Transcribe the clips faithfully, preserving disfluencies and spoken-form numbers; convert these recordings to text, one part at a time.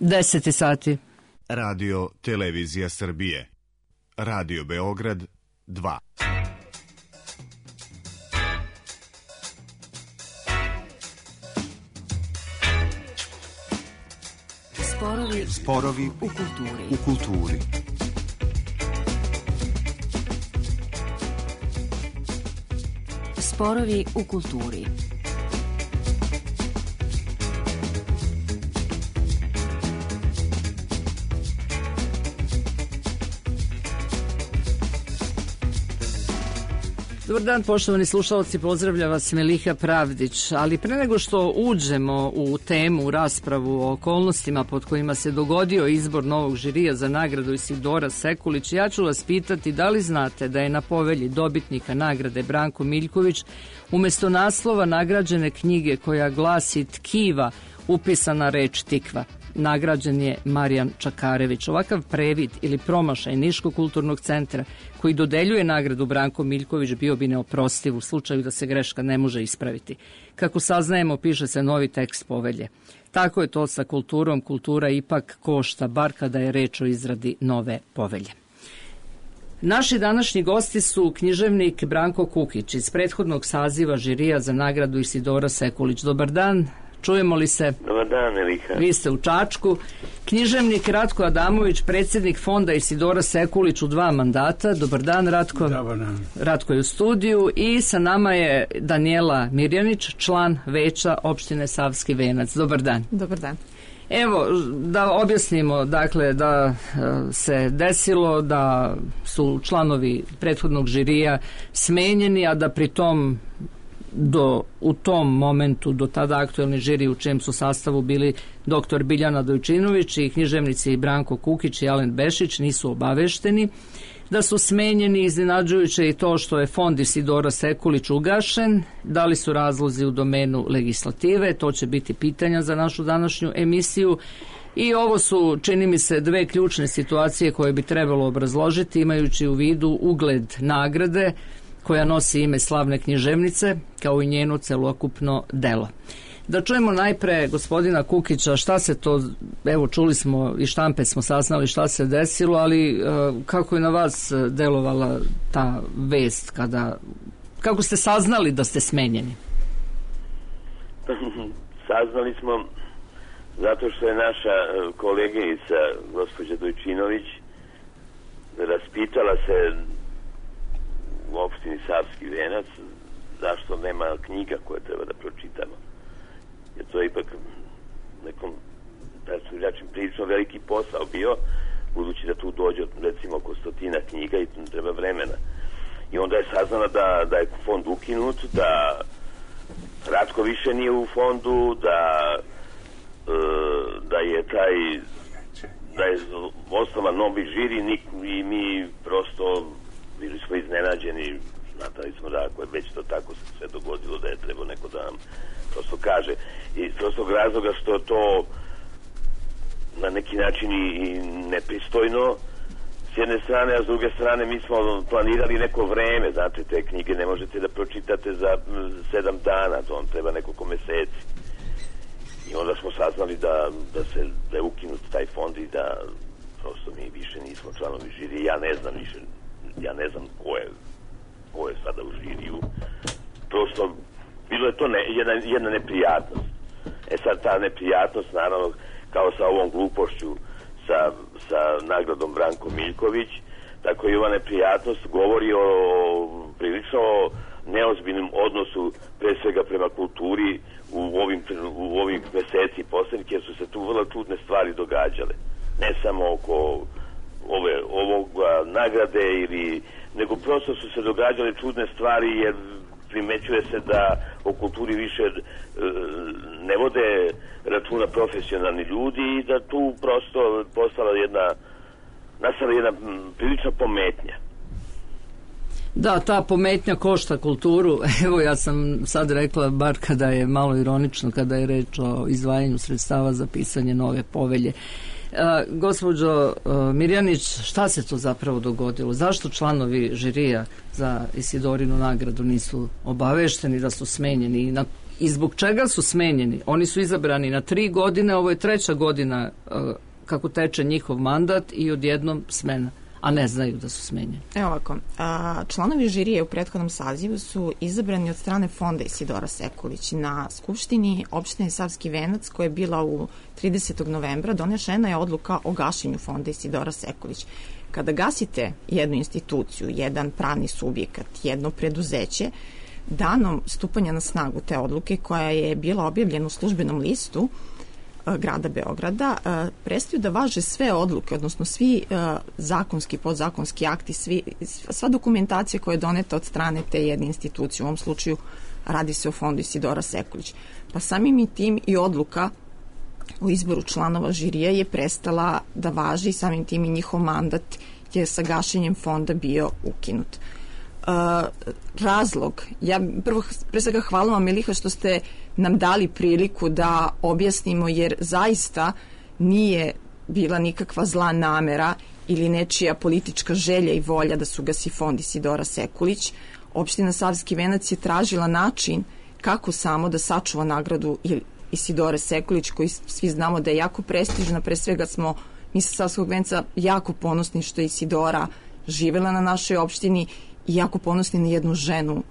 deset sati. Radio Televizija Srbije. Radio Beograd dva. Sporovi, Sporovi u kulturi. U kulturi. Sporovi u kulturi. Dobar dan, poštovani slušalci, pozdravlja vas Meliha Pravdić, ali pre nego što uđemo u temu, u raspravu o okolnostima pod kojima se dogodio izbor novog žirija za nagradu Isidora Sekulić, ja ću vas pitati da li znate da je na povelji dobitnika nagrade Branko Miljković umesto naslova nagrađene knjige koja glasi Tkiva upisana reč tikva. Nagrađen je Marijan Čakarević. Ovakav previd ili promašaj Niškog kulturnog centra koji dodeljuje nagradu Branko Miljković bio bi neoprostiv u slučaju da se greška ne može ispraviti. Kako saznajemo, piše se novi tekst povelje. Tako je to sa kulturom. Kultura ipak košta, bar kada je reč o izradi nove povelje. Naši današnji gosti su književnik Branko Kukić iz prethodnog saziva žirija za nagradu Isidora Sekulić. Dobar dan. Čujemo li se? Dobar dan, Elika. Vi ste u Čačku. Književnik Ratko Adamović, predsjednik fonda Isidora Sekulić u dva mandata. Dobar dan, Ratko. Dobar dan. Ratko je u studiju i sa nama je Danijela Mirjanić, član veća opštine Savski Venac. Dobar dan. Dobar dan. Evo, da objasnimo, dakle, da se desilo da su članovi prethodnog žirija smenjeni, a da pri tom do, u tom momentu, do tada aktuelni žiri u čijem su sastavu bili doktor Biljana Dojčinović i književnici Branko Kukić i Alen Bešić, nisu obavešteni. Da su smenjeni, iznenađujuće i to što je fond Isidora Sekulić ugašen. Da li su razlozi u domenu legislative? To će biti pitanja za našu današnju emisiju. I ovo su, čini mi se, dve ključne situacije koje bi trebalo obrazložiti, imajući u vidu ugled nagrade koja nosi ime slavne književnice, kao i njeno celokupno delo. Da čujemo najpre gospodina Kukića, šta se to, evo čuli smo i štampe smo saznali šta se desilo, ali kako je na vas delovala ta vest, kada, kako ste saznali da ste smenjeni? Saznali smo zato što je naša koleginica gospođa Dojčinović raspitala se u opštini Savski Venac zašto nema knjiga koje treba da pročitamo. Jer to je ipak nekom, da su reći, prilično veliki posao bio, budući da tu dođe recimo oko stotina knjiga i tu treba vremena. I onda je saznala da, da je fond ukinut, da Ratko više nije u fondu, da e, da je taj da je osnovan novi žiri i mi prosto bili smo iznenađeni, znatali smo da ako je već to tako se sve dogodilo da je trebao neko da nam prosto kaže. I prostog razloga što to na neki način i nepristojno s jedne strane, a s druge strane mi smo planirali neko vreme, znate, te knjige ne možete da pročitate za sedam dana, to vam treba nekoliko meseci. I onda smo saznali da, da, se, da je ukinut taj fond i da prosto mi više nismo članovi žiri. Ja ne znam više, ja ne znam ko je, ko je sada u žiriju. Prosto, bilo je to ne, jedna, jedna neprijatnost. E sad ta neprijatnost, naravno, kao sa ovom glupošću sa, sa nagradom Branko Miljković, tako i ova neprijatnost govori o prilično neozbiljnom odnosu, pre svega prema kulturi u ovim, u ovim meseci poslednjih, jer su se tu vrlo čudne stvari događale. Ne samo oko ove, ovog nagrade, ili, nego prosto su se događale čudne stvari, jer primećuje se da o kulturi više e, ne vode računa profesionalni ljudi i da tu prosto postala jedna, nastala jedna prilična pometnja. Da, ta pometnja košta kulturu. Evo, ja sam sad rekla, bar kada je malo ironično, kada je reč o izdvajanju sredstava za pisanje nove povelje. A, gospođo a, Mirjanić, šta se to zapravo dogodilo? Zašto članovi žirija za Isidorinu nagradu nisu obavešteni da su smenjeni? I na I zbog čega su smenjeni? Oni su izabrani na tri godine, ovo je treća godina kako teče njihov mandat i odjednom smena, a ne znaju da su smenjeni. Evo ovako, a, članovi žirije u prethodnom sazivu su izabrani od strane fonda Isidora Sekulić. Na skupštini opštine Savski Venac, koja je bila u tridesetog novembra, donešena je odluka o gašenju fonda Isidora Sekulić. Kada gasite jednu instituciju, jedan pravni subjekat, jedno preduzeće, danom stupanja na snagu te odluke, koja je bila objavljena u službenom listu grada Beograda, prestaju da važe sve odluke, odnosno svi zakonski, podzakonski akti, svi, sva dokumentacija koja je doneta od strane te jedne institucije. U ovom slučaju radi se o fondu Isidora Sekulić. Pa samim i tim i odluka o izboru članova žirije je prestala da važi i samim tim i njihov mandat je sa gašenjem fonda bio ukinut. Uh, razlog, ja prvo pre svega hvala vam, Miliha, što ste nam dali priliku da objasnimo, jer zaista nije bila nikakva zla namera ili nečija politička želja i volja da su gasi fond Isidora Sekulić. Opština Savski Venac je tražila način kako samo da sačuva nagradu Isidore Sekulić, koji svi znamo da je jako prestižna. Pre svega smo mi sa Savskog Venca jako ponosni što je Isidora živela na našoj opštini i jako ponosni na jednu ženu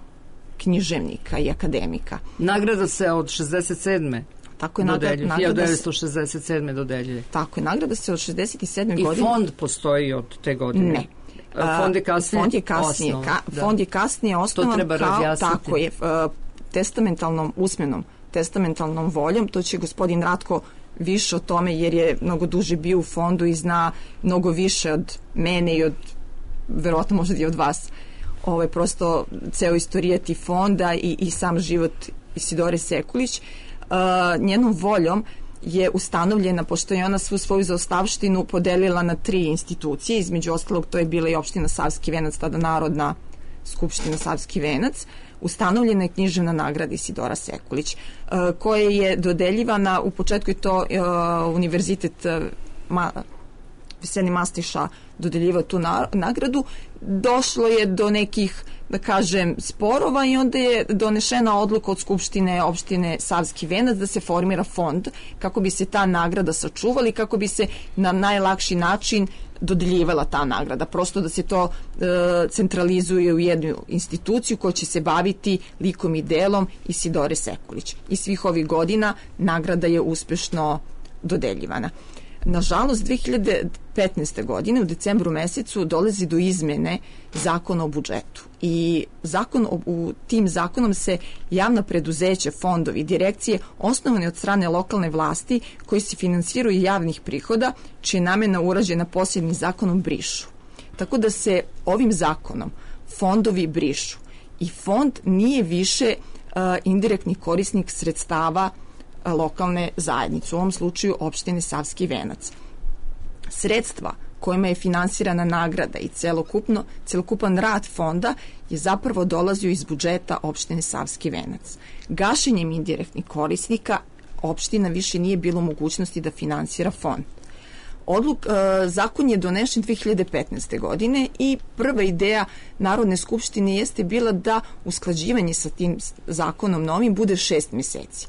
književnika i akademika. Nagrada se od šezdeset sedme Tako je nagrada, hiljadu devetsto šezdeset sedme dodeljuje. Tako je, nagrada se od šezdeset sedme I godine. I fond postoji od te godine? Ne. Fond je kasnije, fond je kasnije, osnovan, ka, da. fond je kasnije osnovan. To treba kao, razjasniti. Tako je, testamentalnom, usmenom testamentalnom voljom. To će gospodin Ratko više o tome, jer je mnogo duže bio u fondu i zna mnogo više od mene i od, verovatno možda i od vas, ovaj, prosto ceo istorijat i fonda i, i sam život Isidore Sekulić. Uh, njenom voljom je ustanovljena, pošto je ona svu svoju zaostavštinu podelila na tri institucije, između ostalog to je bila i opština Savski Venac, tada Narodna skupština Savski Venac, ustanovljena je književna nagrada Isidora Sekulić, uh, koja je dodeljivana, u početku je to uh, univerzitet uh, ma, Veselin Mastiša dodeljivao tu na, nagradu. Došlo je do nekih, da kažem, sporova i onda je donešena odluka od Skupštine opštine Savski Venac da se formira fond kako bi se ta nagrada sačuvala i kako bi se na najlakši način dodeljivala ta nagrada. Prosto da se to e, centralizuje u jednu instituciju koja će se baviti likom i delom Isidore Sekulić. I svih ovih godina nagrada je uspešno dodeljivana. Nažalost, dve hiljade petnaeste. godine u decembru mesecu dolazi do izmene zakona o budžetu i zakon o, u tim zakonom se javna preduzeća, fondovi, direkcije osnovane od strane lokalne vlasti koji se finansiraju javnih prihoda, čija je namena urađena posebnim zakonom, brišu. Tako da se ovim zakonom fondovi brišu i fond nije više uh, indirektni korisnik sredstava lokalne zajednice, u ovom slučaju opštine Savski Venac. Sredstva kojima je finansirana nagrada i celokupno, celokupan rad fonda je zapravo dolazio iz budžeta opštine Savski Venac. Gašenjem indirektnih korisnika opština više nije bilo mogućnosti da finansira fond. Odluk, e, zakon je donešen dve hiljade petnaeste. godine i prva ideja Narodne skupštine jeste bila da usklađivanje sa tim zakonom novim bude šest meseci.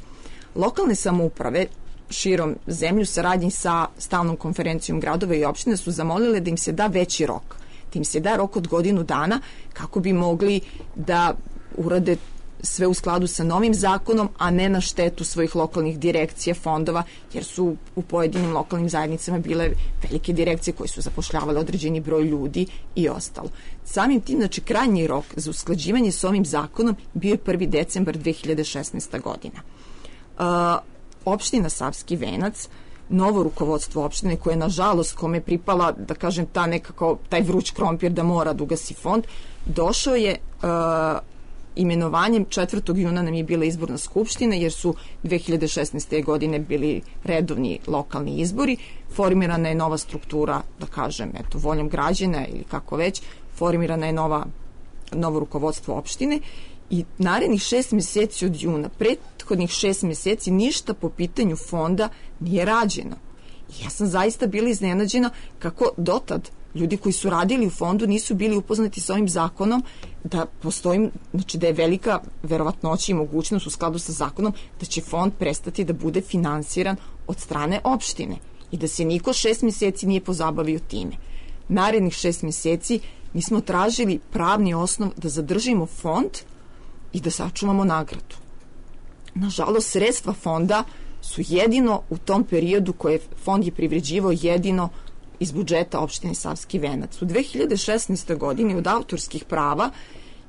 Lokalne samouprave širom zemlju saradnji sa stalnom konferencijom gradova i opština su zamolile da im se da veći rok. Da im se da rok od godinu dana kako bi mogli da urade sve u skladu sa novim zakonom, a ne na štetu svojih lokalnih direkcija, fondova, jer su u pojedinim lokalnim zajednicama bile velike direkcije koje su zapošljavale određeni broj ljudi i ostalo. Samim tim, znači, krajnji rok za usklađivanje s ovim zakonom bio je prvi decembar dve hiljade šesnaeste. godina. Uh, opština Savski Venac, novo rukovodstvo opštine koje je nažalost kome pripala, da kažem, ta nekako, taj vruć krompir da mora da ugasi fond, došao je uh, imenovanjem, četvrtog juna nam je bila izborna skupština, jer su dve hiljade šesnaeste. godine bili redovni lokalni izbori, formirana je nova struktura, da kažem, eto, voljom građana ili kako već, formirana je nova, novo rukovodstvo opštine i narednih šest meseci od juna, prethodnih šest meseci, ništa po pitanju fonda nije rađeno. I ja sam zaista bila iznenađena kako dotad ljudi koji su radili u fondu nisu bili upoznati sa ovim zakonom, da postoji, znači da je velika verovatnoća i mogućnost u skladu sa zakonom da će fond prestati da bude finansiran od strane opštine i da se niko šest mjeseci nije pozabavio time. Narednih šest mjeseci mi smo tražili pravni osnov da zadržimo fond i da sačuvamo nagradu. Nažalost, sredstva fonda su jedino u tom periodu koje fond je privređivao jedino iz budžeta opštine Savski Venac. U dve hiljade šesnaestoj. godini od autorskih prava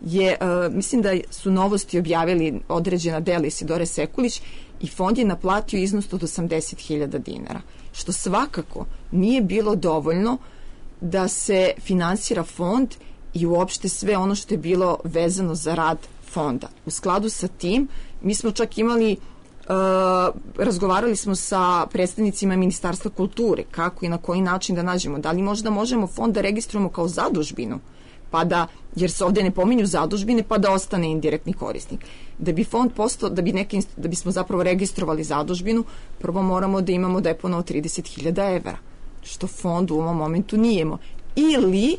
je, uh, mislim da su Novosti objavili određena dela Isidore Sekulić i fond je naplatio iznos od osamdeset hiljada dinara, što svakako nije bilo dovoljno da se finansira fond i uopšte sve ono što je bilo vezano za rad fonda. U skladu sa tim, mi smo čak imali Uh, razgovarali smo sa predstavnicima Ministarstva kulture kako i na koji način da nađemo, da li možda možemo fond da registrujemo kao zadužbinu, pa da, jer se ovde ne pominju zadužbine, pa da ostane indirektni korisnik. Da bi fond postao, da bi neki, da bismo zapravo registrovali zadužbinu, prvo moramo da imamo depono od trideset hiljada evra, što fond u ovom momentu nijemo. Ili,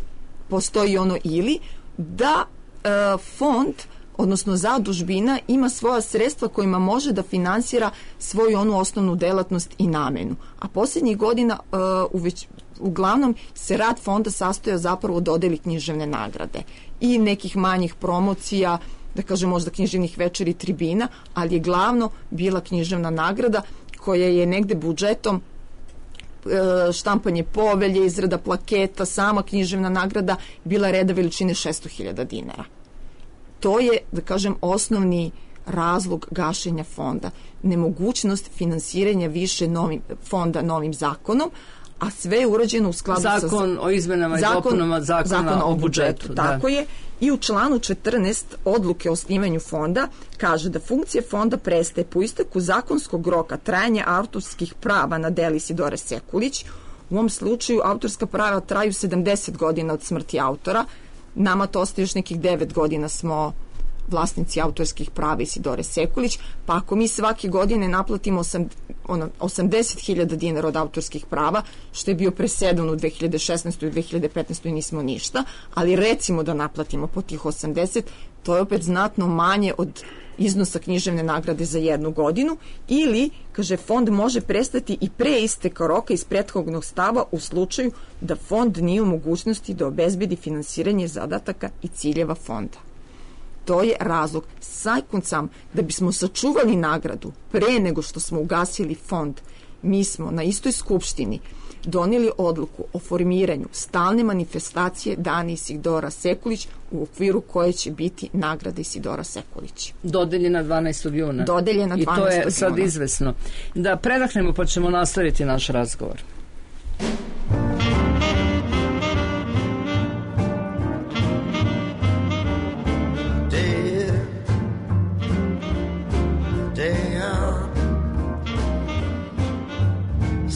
postoji ono ili, da uh, fond odnosno zadužbina ima svoja sredstva kojima može da finansira svoju onu osnovnu delatnost i namenu. A posljednjih godina uh, uveć, uglavnom se rad fonda sastojao zapravo od dodeli književne nagrade i nekih manjih promocija, da kažem možda književnih večeri, tribina, ali je glavno bila književna nagrada koja je negde budžetom uh, štampanje povelje, izrada plaketa, sama književna nagrada bila reda veličine šesto hiljada dinara. To je, da kažem, osnovni razlog gašenja fonda. Nemogućnost finansiranja više novim, fonda novim zakonom, a sve je urađeno u skladu zakon sa... Zakon o izmenama i dopunama zakona, zakona o budžetu. budžetu tako da. je. I u članu četrnaest odluke o osnivanju fonda kaže da funkcija fonda prestaje po isteku zakonskog roka trajanja autorskih prava na deli Isidore Sekulić. U ovom slučaju autorska prava traju sedamdeset godina od smrti autora. Nama to ostaje još nekih devet godina smo vlasnici autorskih prava Isidore Sekulić, pa ako mi svake godine naplatimo osam, ono, osamdeset hiljada dinara od autorskih prava, što je bio presedan u dve hiljade šesnaestoj i dve hiljade petnaestoj nismo ništa, ali recimo da naplatimo po tih osamdeset, to je opet znatno manje od iznosa književne nagrade za jednu godinu, ili, kaže, fond može prestati i pre isteka roka iz prethodnog stava u slučaju da fond nije u mogućnosti da obezbedi finansiranje zadataka i ciljeva fonda. To je razlog. Sajkun sam, da bismo sačuvali nagradu pre nego što smo ugasili fond, mi smo na istoj skupštini donijeli odluku o formiranju stalne manifestacije Dana Isidora Sekulić u okviru koje će biti nagrada Isidora Sekulić. Dodeljena dvanaestog juna. Dodeljena dvanaestog juna. I to je sad izvesno. Da predahnemo pa ćemo nastaviti naš razgovor.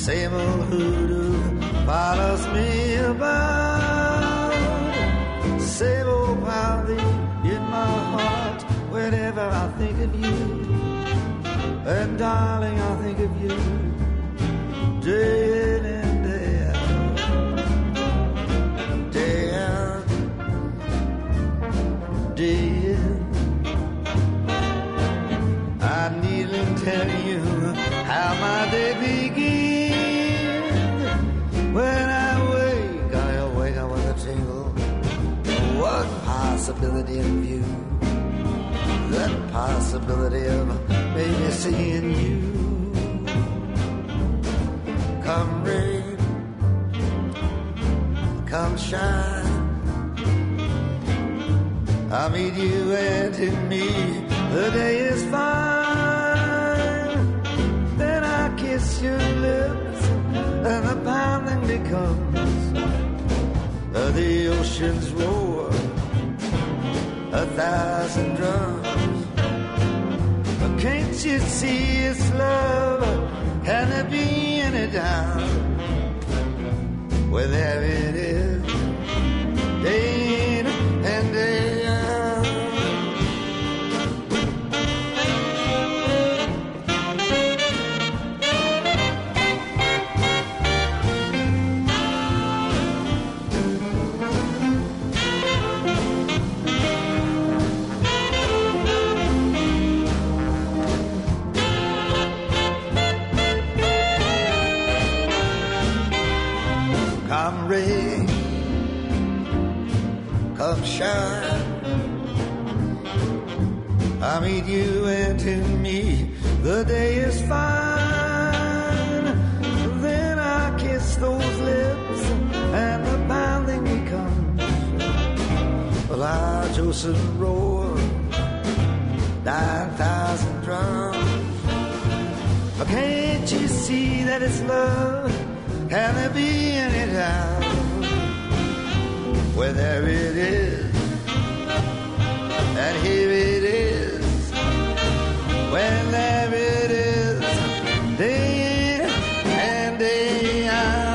Same old hoodoo follows me about. Same old pounding in my heart whenever I think of you. And darling, I think of you day in and day out. Day out, day in. I needn't tell you how my day begins. When I wake, I wake up with a tingle. What possibility in view? That possibility of maybe seeing you. Come rain, come shine, I'll meet you, and to me the day is fine. Then I kiss your lips and the pounding becomes uh, the ocean's roar, a thousand drums. But can't you see it's love? Can there be any doubt? Well, there it is, day in and day out. come rain, come shine, I meet you and to me the day is fine. Then I kiss those lips and the pounding becomes a large ocean roar, nine thousand drums. Can't you see that it's love? Can there be any doubt? Well, there it is, and here it is. When there it is, day in and day out.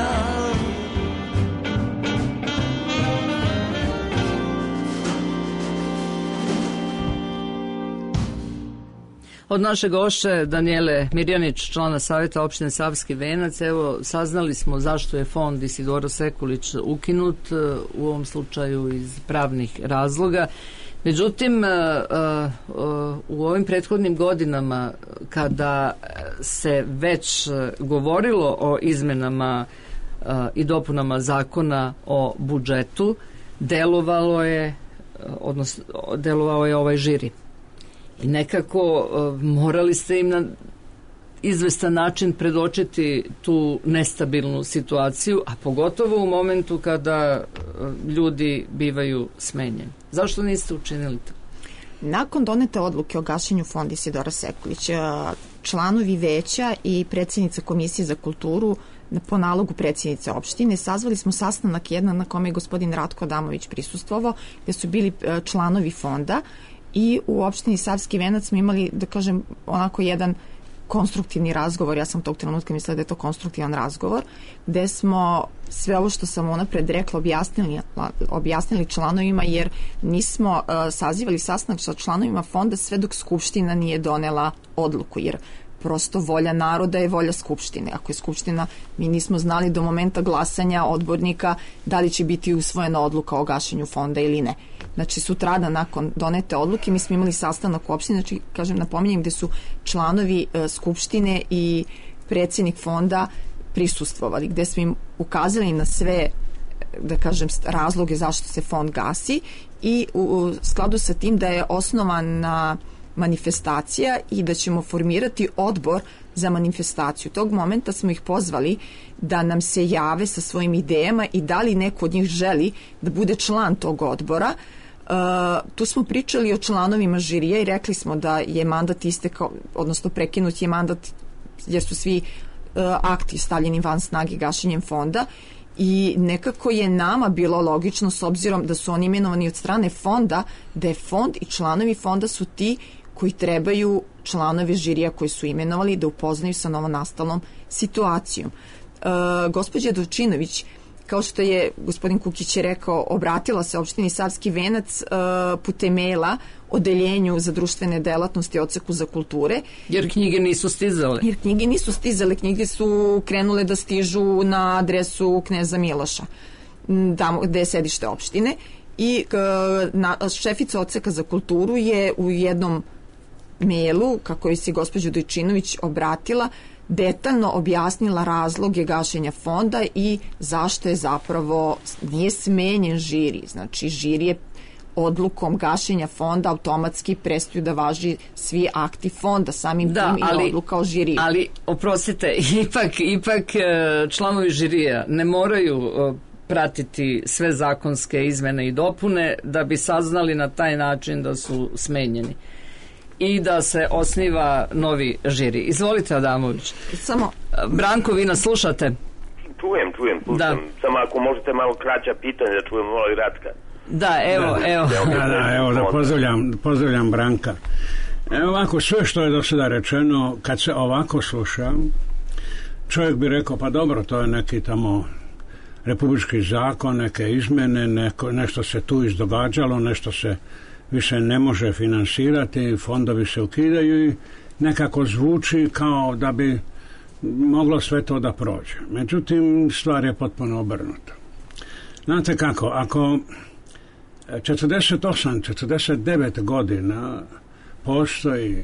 Od naše gošće Danijele Mirjanić, člana Savjeta opštine Savski Venac, evo, saznali smo zašto je fond Isidora Sekulić ukinut, u ovom slučaju iz pravnih razloga. Međutim, u ovim prethodnim godinama, kada se već govorilo o izmenama i dopunama zakona o budžetu, delovalo je, odnosno, delovao je ovaj žiri. I nekako morali ste im na izvestan način predočiti tu nestabilnu situaciju, a pogotovo u momentu kada ljudi bivaju smenjeni. Zašto niste učinili to? Nakon donete odluke o gašenju fonda Isidora Sekulića, članovi veća i predsjednica Komisije za kulturu po nalogu predsjednice opštine sazvali smo sastanak jedan na kome je gospodin Ratko Adamović prisustvovao, gde su bili članovi fonda i u opštini Savski Venac smo imali, da kažem, onako jedan konstruktivni razgovor. Ja sam tog trenutka mislila da je to konstruktivan razgovor, gde smo sve ovo što sam unapred rekla objasnili, objasnili članovima, jer nismo uh, sazivali sastanak sa članovima fonda sve dok Skupština nije donela odluku, jer prosto volja naroda je volja Skupštine. Ako je Skupština, mi nismo znali do momenta glasanja odbornika da li će biti usvojena odluka o gašenju fonda ili ne. Znači, sutrada nakon donete odluke mi smo imali sastanak u opštini, znači, kažem, napominjem, gde su članovi e, Skupštine i predsjednik fonda prisustvovali, gde smo im ukazali na sve, da kažem, razloge zašto se fond gasi i u, u skladu sa tim da je osnovana manifestacija i da ćemo formirati odbor za manifestaciju. Tog momenta smo ih pozvali da nam se jave sa svojim idejama i da li neko od njih želi da bude član tog odbora. Uh, tu smo pričali o članovima žirija i rekli smo da je mandat istekao, odnosno prekinut je mandat jer su svi uh, akti stavljeni van snage gašenjem fonda i nekako je nama bilo logično, s obzirom da su oni imenovani od strane fonda, da je fond i članovi fonda su ti koji trebaju članove žirija koji su imenovali da upoznaju sa novonastalom situacijom. E, gospođa Dovčinović, kao što je gospodin Kukić je rekao, obratila se opštini Savski Venac e, putem maila odeljenju za društvene delatnosti odseku za kulture. Jer knjige nisu stizale. Jer knjige nisu stizale, knjige su krenule da stižu na adresu Kneza Miloša, tamo gde je sedište opštine. I na, šefica odseka za kulturu je u jednom mailu, kako je se gospođa Dojčinović obratila, detaljno objasnila razloge gašenja fonda i zašto je zapravo nije smenjen žiri. Znači, žiri je odlukom gašenja fonda automatski prestaju da važi svi akti fonda, samim da, tim ali, i odluka o žiriju. Ali, oprostite, ipak, ipak članovi žirija ne moraju pratiti sve zakonske izmene i dopune da bi saznali na taj način da su smenjeni i da se osniva novi žiri. Izvolite, Adamović. Samo... Branko, vi nas slušate? Čujem, čujem, slušam. Da. Samo ako možete malo kraća pitanja da čujem malo i Ratka. Da, evo, da, evo. Da, da, evo, da pozdravljam, pozdravljam Branka. Evo ovako, sve što je do sada rečeno, kad se ovako sluša, čovjek bi rekao, pa dobro, to je neki tamo republički zakon, neke izmene, neko, nešto se tu izdogađalo, nešto se više ne može finansirati, fondovi se ukidaju i nekako zvuči kao da bi moglo sve to da prođe. Međutim, stvar je potpuno obrnuta. Znate kako, ako četrdeset osam četrdeset devet godina postoji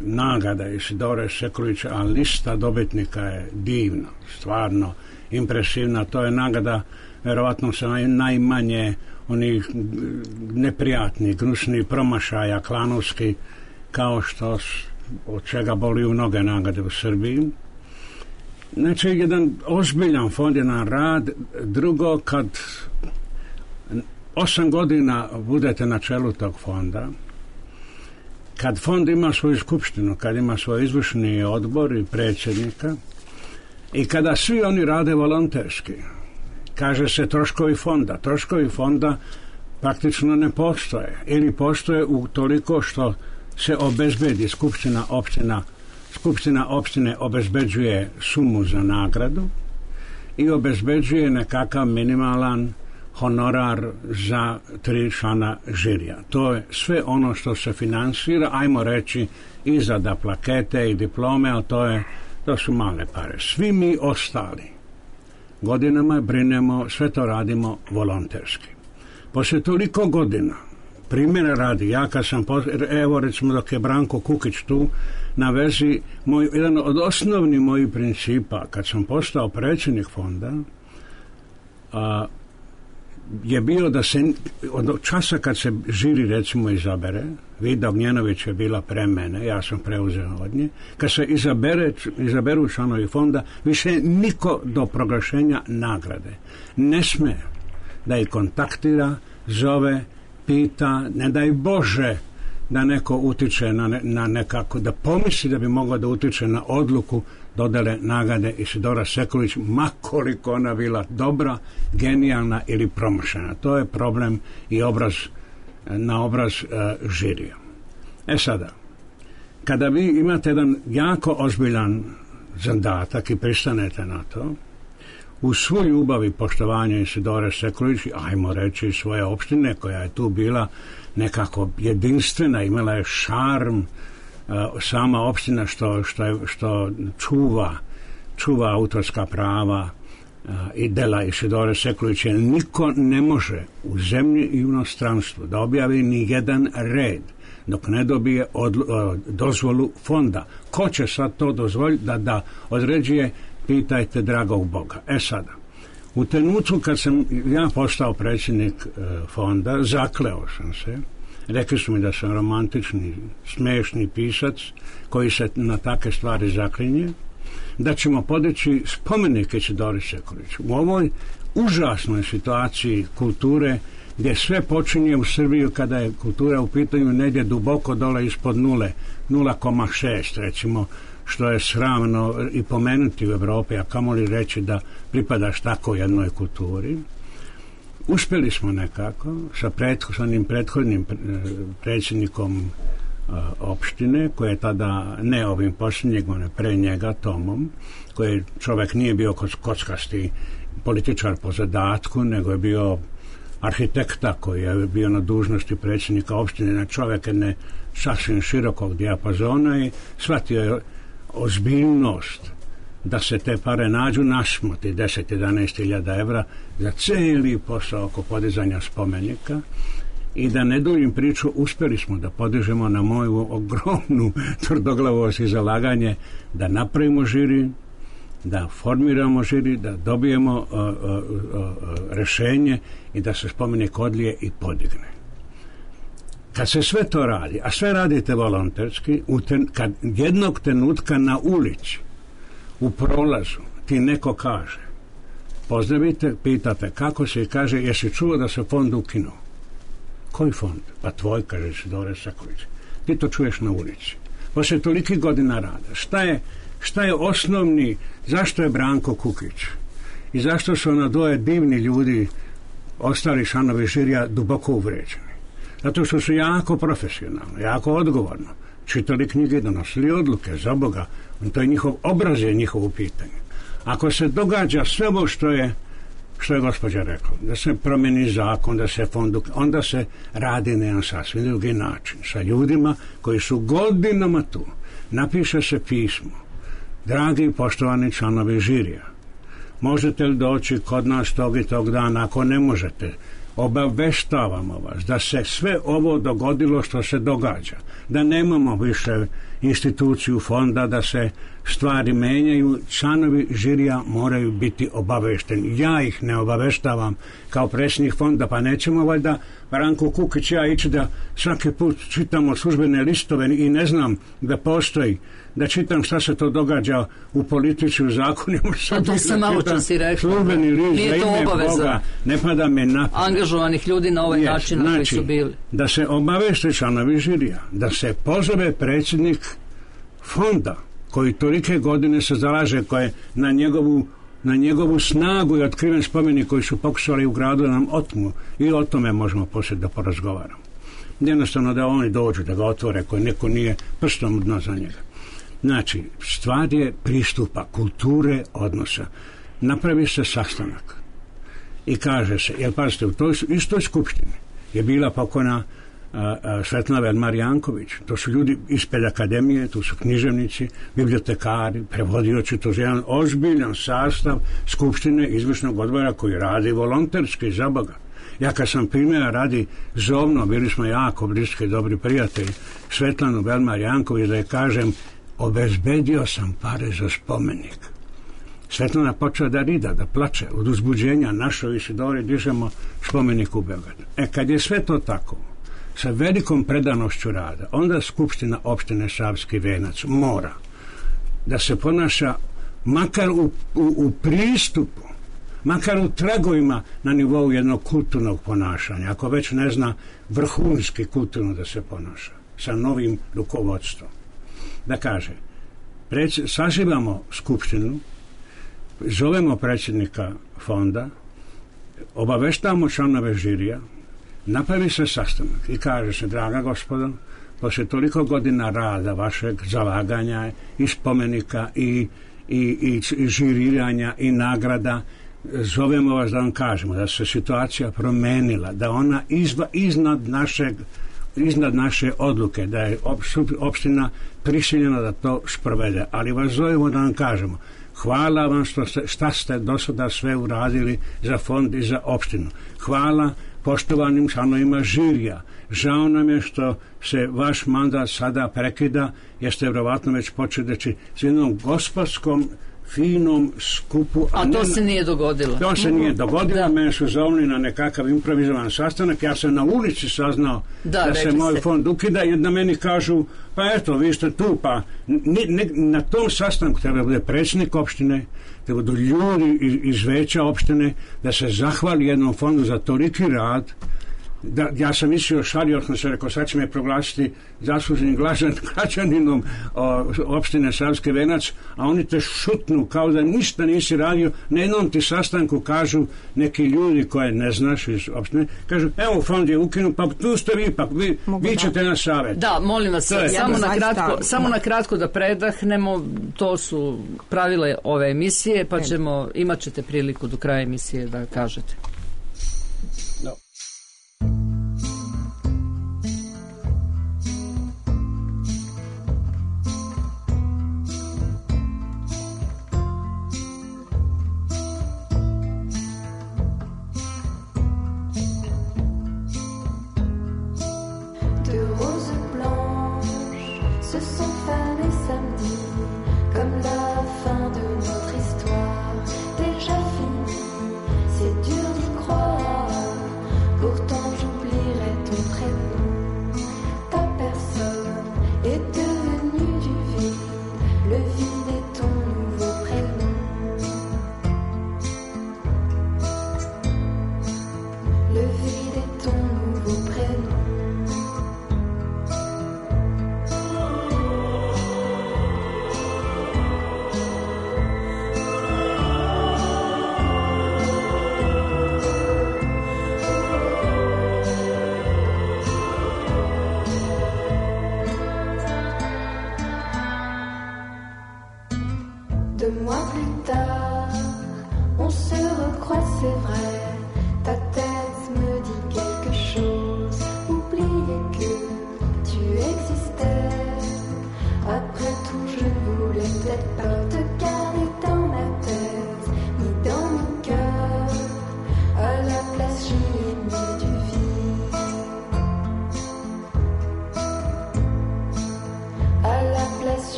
nagrada Isidore Sekulića, a lista dobitnika je divna, stvarno impresivna. To je nagrada vjerovatno sa naj, najmanje onih neprijatnih, gnusnih promašaja klanovski, kao što od čega boli mnoge nagrade u Srbiji. Znači, jedan ozbiljan fond, jedan rad. Drugo, kad osam godina budete na čelu tog fonda, kad fond ima svoju skupštinu, kad ima svoj izvršni odbor i predsjednika, i kada svi oni rade volonterski, kaže se troškovi fonda. Troškovi fonda praktično ne postoje, ili postoje u toliko što se obezbedi skupština opština, skupština opštine obezbeđuje sumu za nagradu i obezbeđuje nekakav minimalan honorar za tri člana žirija. To je sve ono što se finansira, ajmo reći, i za da plakete i diplome, ali to, je, to su male pare. Svi mi ostali godinama brinemo, sve to radimo volonterski. Poslije toliko godina, primjera radi, ja kad sam, evo recimo dok je Branko Kukić tu, na vezi, moj, jedan od osnovnih mojih principa, kad sam postao predsjednik fonda, a, je bio da se od časa kad se žiri recimo izabere, Vida Ognjenović je bila pre mene, ja sam preuzeo od nje, kad se izabere, izaberu članovi fonda, više niko do proglašenja nagrade ne sme da ih kontaktira, zove, pita, ne daj Bože da neko utiče na, ne, na nekako, da pomisli da bi mogao da utiče na odluku dodele nagrade Isidora Sekulić, makoliko ona bila dobra, genijalna ili promašena. To je problem i obraz, na obraz uh, žirija. E sada, kada vi imate jedan jako ozbiljan zadatak i pristanete na to, u svu ljubav i poštovanje Isidore Sekulić, ajmo reći svoje opštine, koja je tu bila nekako jedinstvena, imala je šarm, sama opština što, što, je, što čuva, čuva autorska prava i dela Isidore Sekulić, jer niko ne može u zemlji i u inostranstvu da objavi ni jedan red dok ne dobije odlu, dozvolu fonda. Ko će sad to dozvoliti da, da određuje, pitajte dragog Boga. E sada, u trenutku kad sam ja postao predsjednik e, fonda, zakleo sam se, rekli su mi da sam romantični, smešni pisac koji se na takve stvari zaklinje, da ćemo podići spomenik Isidori Sekulić. U ovoj užasnoj situaciji kulture, gdje sve počinje u Srbiji kada je kultura u pitanju negdje duboko dole ispod nule, nula zarez šest recimo, što je sramno i pomenuti u Evropi, a kamoli reći da pripadaš tako jednoj kulturi. Uspjeli smo nekako sa prethodnim, prethodnim predsjednikom a, opštine, koji je tada, ne ovim posljednjeg, ne pre njega, Tomom, koji čovjek nije bio kockasti političar po zadatku, nego je bio arhitekta koji je bio na dužnosti predsjednika opštine, na čovjek jedne sasvim širokog dijapazona i shvatio je ozbiljnost da se te pare nađu, našmoti deset do jedanaest hiljada evra za cijeli posao oko podizanja spomenika. I da ne duljim priču, uspjeli smo da podižemo na moju ogromnu tvrdoglavost i zalaganje da napravimo žiri, da formiramo žiri, da dobijemo uh, uh, uh, rešenje i da se spomenik odlije i podigne. Kad se sve to radi, a sve radite volonterski, ten, kad jednog trenutka na ulici, u prolazu, ti neko kaže, pozdravite, pitate kako se i kaže, jesi čuo da se fond ukinuo? Koji fond? Pa tvoj, kaže Isidore Sekulić. Ti to čuješ na ulici. Poslije toliki godina rada. Šta je, šta je osnovni, zašto je Branko Kukić? I zašto su ona dvoje divni ljudi, ostali članovi žirija, duboko uvređeni? Zato što su jako profesionalno, jako odgovorno čitali knjige i donosili odluke, za Boga. To je njihov obraz, je njihovo pitanje. Ako se događa sve ovo što je što je gospođa rekla, da se promeni zakon, da se fond, onda se radi na jedan sasvim drugi način. Sa ljudima koji su godinama tu. Napiše se pismo. Dragi i poštovani članovi žirija, možete li doći kod nas tog i tog dana? Ako ne možete, obaveštavamo vas da se sve ovo dogodilo što se događa, da nemamo više instituciju fonda, da se stvari menjaju, članovi žirija moraju biti obavešteni. Ja ih ne obaveštavam kao predsjednik fonda, pa nećemo valjda Branko Kukić ja ići da svaki put čitamo službene listove i ne znam da postoji, da čitam šta se to događa u politici, u zakonima. A to se malo časi rekao. Službeni list za ime obaveza. Boga ne pada me na angažovanih ljudi na ovaj yes, način na znači, koji su bili. Da se obaveste članovi žirija, da se pozove predsjednik fonda koji tolike godine se zalaže, koje na njegovu na njegovu snagu i otkriven spomenik koji su pokušali u gradu da nam otmu i o tome možemo poslije da porazgovaramo. Jednostavno da oni dođu, da ga otvore, koji neko nije prstom u dno za njega. Znači, stvar je pristupa, kulture, odnosa. Napravi se sastanak i kaže se, jer pazite, u toj istoj skupštini je bila pokojna a, a, Svetlana Velmar Janković. To su ljudi iz pedakademije, tu su književnici, bibliotekari, prevodioci, to je jedan ozbiljan sastav skupštine izvršnog odbora koji radi volonterski za Boga. Ja kad sam primjera radi zovno, bili smo jako bliski, dobri prijatelji, Svetlanu Velmar Janković, da je kažem, obezbedio sam pare za spomenik. Svetlana počela da rida, da plače od uzbuđenja, našo i Sidori dižemo spomenik u Beogradu. E, kad je sve to tako, sa velikom predanošću rada, onda Skupština opštine Savski Venac mora da se ponaša makar u, u, u pristupu, makar u tragovima na nivou jednog kulturnog ponašanja, ako već ne zna vrhunski kulturno da se ponaša sa novim rukovodstvom. Da kaže, preć, saživamo skupštinu, zovemo predsjednika fonda, obaveštavamo članove žirija, napravi se sastanak i kaže se, draga gospodo, poslije toliko godina rada vašeg zalaganja i spomenika i, i, i, i žiriranja i nagrada, zovemo vas da vam kažemo da se situacija promenila, da ona izva, iznad našeg iznad naše odluke, da je opština prisiljena da to sprovede, ali vas zovemo da vam kažemo hvala vam što ste, šta ste do sada sve uradili za fond i za opštinu. Hvala poštovanim članovima žirija. Žao nam je što se vaš mandat sada prekida, jer ste vjerovatno već počeli s jednom gospodskom finom skupu. A, a to ne, se nije dogodilo. To se nije dogodilo. Da. Mene su zovni na nekakav improvizovan sastanak. Ja sam na ulici saznao da, da se moj fond ukida i da meni kažu, pa eto, vi ste tu, pa ne, ne, na tom sastanku treba bude predsjednik opštine, treba budu ljudi iz, iz veća opštine, da se zahvali jednom fondu za toliki rad. Da, ja sam mislio šalio, sam se rekao, sad će me proglasiti zasluženim građaninom opštine Savski Venac, a oni te šutnu kao da ništa nisi radio. Na jednom ti sastanku kažu neki ljudi koje ne znaš iz opštine, kažu, evo fond je ukinut, pa tu ste vi, pa vi, vi ćete na savjet. Da, molim vas, samo, na kratko, samo na kratko da predahnemo, to su pravile ove emisije, pa ćemo, imat ćete priliku do kraja emisije da kažete. No. Place, je l'ai mis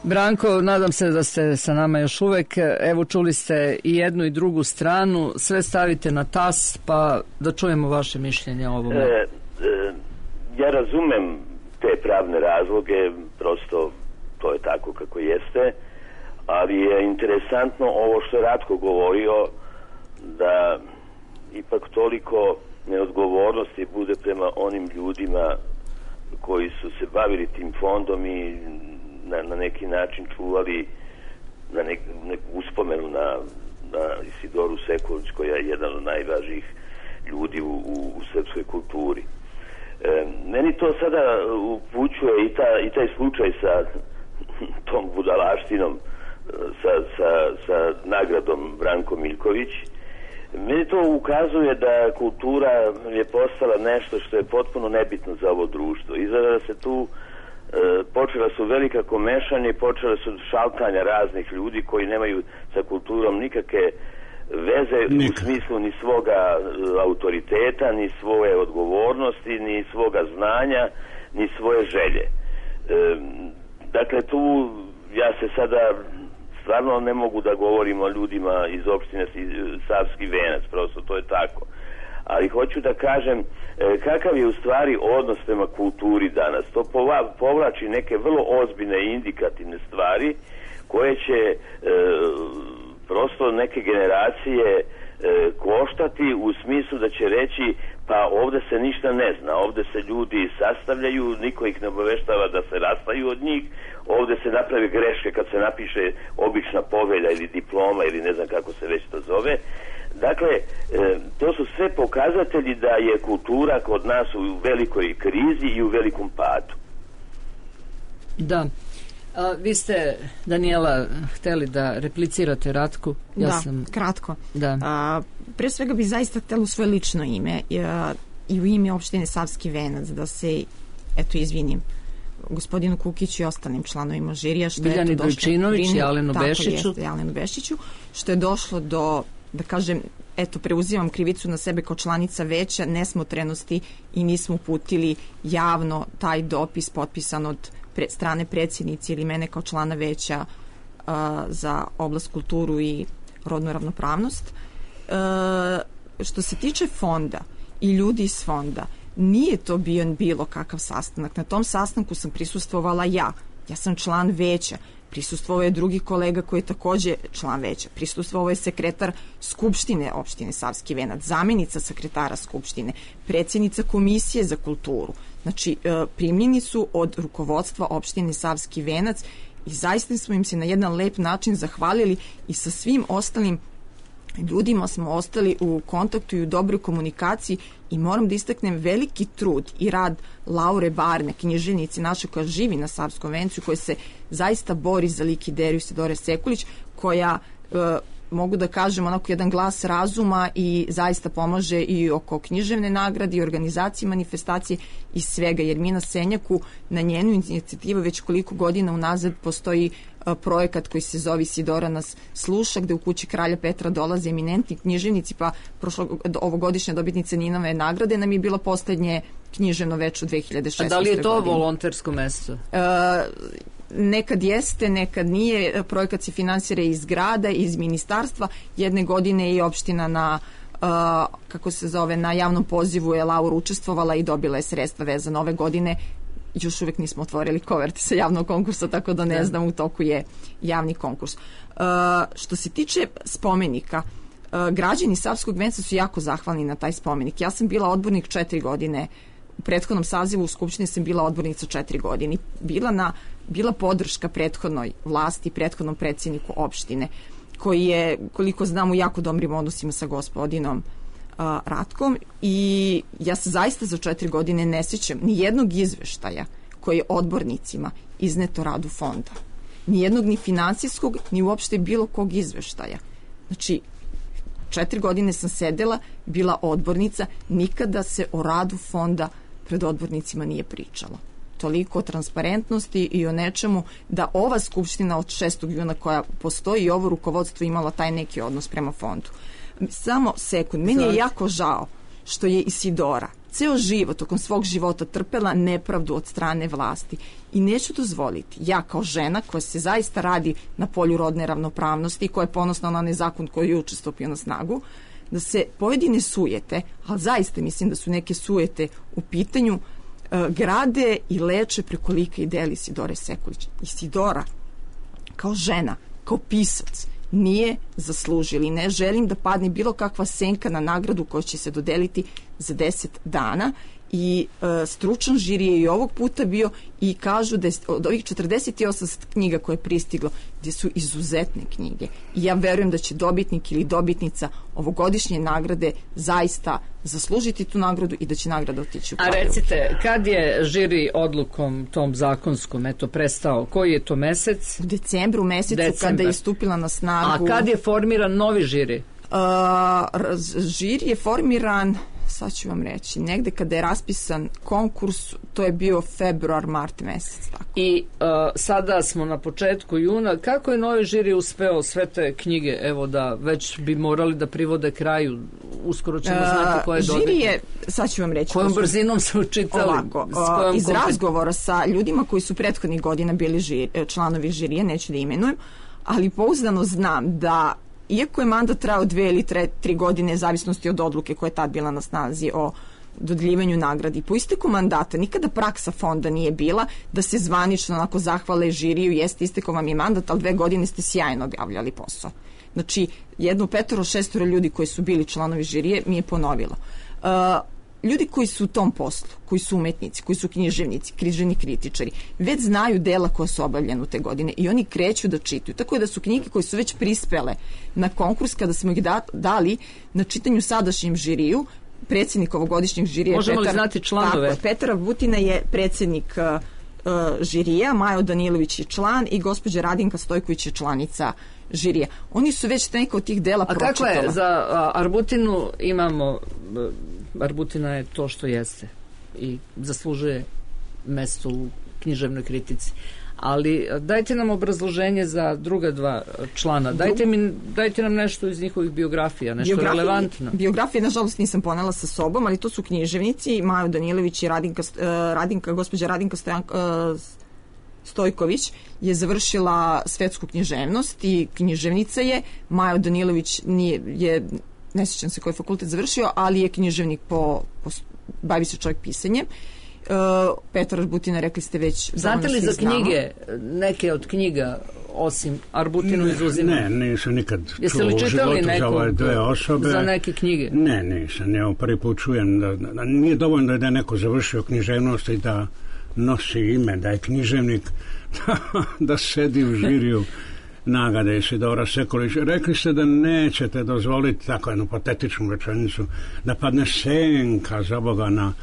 Branko, nadam se da ste sa nama još uvek. Evo, čuli ste i jednu i drugu stranu. Sve stavite na tas, pa da čujemo vaše mišljenje o ovome. E, e, ja razumem te pravne razloge, prosto to je tako kako jeste, ali je interesantno ovo što je Ratko govorio, da ipak toliko neodgovornosti bude prema onim ljudima koji su se bavili tim fondom i na, na neki način čuvali na nek, neku uspomenu na, na Isidoru Sekulić, koja je jedan od najvažnijih ljudi u, u, u srpskoj kulturi. E, meni to sada upućuje i, ta, i taj slučaj sa tom budalaštinom, sa, sa, sa nagradom Branko Miljković. Meni to ukazuje da kultura je postala nešto što je potpuno nebitno za ovo društvo. Izgleda da se tu e, počela su velika komešanja i počela su šaltanja raznih ljudi koji nemaju sa kulturom nikakve veze Nikad. u smislu ni svoga e, autoriteta, ni svoje odgovornosti, ni svoga znanja, ni svoje želje. E, dakle, tu ja se sada stvarno ne mogu da govorim o ljudima iz opštine Savski Venac, prosto to je tako. Ali hoću da kažem e, kakav je u stvari odnos prema kulturi danas. To pova, povlači neke vrlo ozbiljne i indikativne stvari koje će e, prosto neke generacije e, koštati u smislu da će reći pa ovde se ništa ne zna, ovde se ljudi sastavljaju, niko ih ne obaveštava da se rastaju od njih, ovde se naprave greške kad se napiše obična povelja ili diploma ili ne znam kako se već to zove. Dakle, e, to su sve pokazatelji da je kultura kod nas u velikoj krizi i u velikom padu. Da. A, vi ste, Danijela, hteli da replicirate Ratku? Ja da, sam... kratko. Da. A, pre svega bi zaista htjela u svoje lično ime a, i u ime opštine Savski Venac da se, eto, izvinim gospodinu Kukiću i ostalim članovima žirija što Biljani je Dojčinović i Alenu Bešiću. Jeste, Alenu Bešiću, što je došlo do, da kažem, eto, preuzimam krivicu na sebe kao članica veća nesmotrenosti i nismo uputili javno taj dopis potpisan od pre, strane predsjednici ili mene kao člana veća uh, za oblast kulturu i rodnu ravnopravnost. Uh, što se tiče fonda i ljudi iz fonda, nije to bio bilo kakav sastanak. Na tom sastanku sam prisustvovala ja. Ja sam član veća. Prisustvovao je drugi kolega koji je također član veća. Prisustvovao je sekretar Skupštine opštine Savski Venac, zamjenica sekretara Skupštine, predsjednica Komisije za kulturu. Znači, primljeni su od rukovodstva opštine Savski Venac i zaista smo im se na jedan lep način zahvalili i sa svim ostalim ljudima smo ostali u kontaktu i u dobroj komunikaciji i moram da istaknem veliki trud i rad Laure Barne, književnice naše koja živi na Savskom Vencu, koja se zaista bori za lik ideju Isidore Sekulić, koja e, mogu da kažem onako jedan glas razuma i zaista pomaže i oko književne nagrade i organizacije manifestacije i svega, jer mi na Senjaku na njenu inicijativu već koliko godina unazad postoji a, projekat koji se zove Isidora nas sluša, gde u kući kralja Petra dolaze eminentni književnici, pa prošlo, ovogodišnja dobitnica Ninove nagrade nam je bilo poslednje književno već u dve hiljade šesnaestoj. A da li je to godine. volontersko mesto? A, nekad jeste, nekad nije. Projekat se finansira iz grada, iz ministarstva. Jedne godine i opština na uh, kako se zove, na javnom pozivu je Laura učestvovala i dobila je sredstva vezano ove godine. Još uvijek nismo otvorili koverte sa javnog konkursa, tako da ne znam, u toku je javni konkurs. Uh, što se tiče spomenika, uh, građani Savskog Venca su jako zahvalni na taj spomenik. Ja sam bila odbornik četiri godine. U prethodnom sazivu u Skupštini sam bila odbornica četiri godine. Bila na bila podrška prethodnoj vlasti, prethodnom predsjedniku opštine, koji je, koliko znam, u jako dobrim odnosima sa gospodinom uh, Ratkom, i ja se zaista za četiri godine ne sjećam ni jednog izveštaja koji je odbornicima izneto radu fonda. Ni jednog ni finansijskog, ni uopšte bilo kog izveštaja. Znači, četiri godine sam sedela, bila odbornica, nikada se o radu fonda pred odbornicima nije pričalo. Toliko o transparentnosti i o nečemu da ova skupština od šestog juna koja postoji i ovo rukovodstvo imalo taj neki odnos prema fondu. Samo sekund, meni je jako žao što je Isidora ceo život, tokom svog života trpela nepravdu od strane vlasti. I neću dozvoliti, ja kao žena koja se zaista radi na polju rodne ravnopravnosti i koja je ponosna na onaj zakon koji je juče stupio na snagu, da se pojedine sujete, ali zaista mislim da su neke sujete u pitanju, grade i leče preko lika i dela Isidore Sekulić. Isidora, kao žena, kao pisac, nije zaslužili. Ne želim da padne bilo kakva senka na nagradu koja će se dodeliti za deset dana i e, stručan žiri je i ovog puta bio i kažu da je od ovih četrdeset osam knjiga koje je pristiglo, gdje su izuzetne knjige. I ja verujem da će dobitnik ili dobitnica ovogodišnje nagrade zaista zaslužiti tu nagradu i da će nagrada otići u Kragujevac. A recite, kad je žiri odlukom tom zakonskom eto prestao? Koji je to mesec? U decembru mesecu Decembar. Kada je stupila na snagu. A kad je formiran novi žiri? Uh, žiri je formiran, sad ću vam reći, negde kada je raspisan konkurs, to je bio februar, mart mesec. Tako. I uh, sada smo na početku juna. Kako je novi žiri uspeo sve te knjige, evo da već bi morali da privode kraju, uskoro ćemo uh, znati koje je dobitnik. Žiri je, sad ću vam reći. Kojom brzinom se učitali? Ovako, uh, iz razgovora sa ljudima koji su prethodnih godina bili žiri, članovi žirije, neću da imenujem, ali pouzdano znam da iako je mandat trajao dve ili tre, tri godine, zavisnosti od odluke koja je tad bila na snazi o dodeljivanju nagradi, po isteku mandata nikada praksa fonda nije bila da se zvanično onako zahvale žiriju, jeste istekao vam je mandat, ali dve godine ste sjajno objavljali posao. Znači, jedno petoro, šestoro ljudi koji su bili članovi žirije mi je ponovilo. Uh, ljudi koji su u tom poslu, koji su umetnici, koji su književnici, književni kritičari, već znaju dela koja su obavljena u te godine i oni kreću da čitaju. Tako je da su knjige koje su već prispele na konkurs, kada smo ih da, dali na čitanju sadašnjem žiriju, predsjednik ovogodišnjeg žirija... Možemo Petar, li znati članove? Tako, Petar Butina je predsjednik uh, uh, žirija, Majo Danilović je član i gospođa Radinka Stojković je članica žirija. Oni su već neka od tih dela pročitala. A kako je? Za a, Arbutinu imamo... Arbutina je to što jeste i zaslužuje mesto u književnoj kritici. Ali dajte nam obrazloženje za druga dva člana. Dajte, mi, dajte nam nešto iz njihovih biografija, nešto biografije, relevantno. Biografije, nažalost, nisam ponela sa sobom, ali to su književnici, Majo Danilović i Radinka, Radinka gospođa Radinka Stojanko, Stojković je završila svetsku književnost i književnica je. Majo Danilović nije, je, ne sjećam se koji fakultet završio, ali je književnik po, po bavi se čovjek pisanjem. Uh, Petar Arbutina, rekli ste već... Znate li za knjige, neke od knjiga, osim Arbutinu izuzima? Ne, nisam nikad Jeste čuo li u životu za ove dve nekog, osobe. za neke knjige? Ne, nisam. Ja prvi put čujem da, da, da nije dovoljno da je neko završio književnost i da nosi ime, da je književnik, da, da sedi u žiriju nagrade Isidora Sekulić. Rekli ste da nećete dozvoliti tako jednu patetičnu rečenicu, da padne senka za Boga na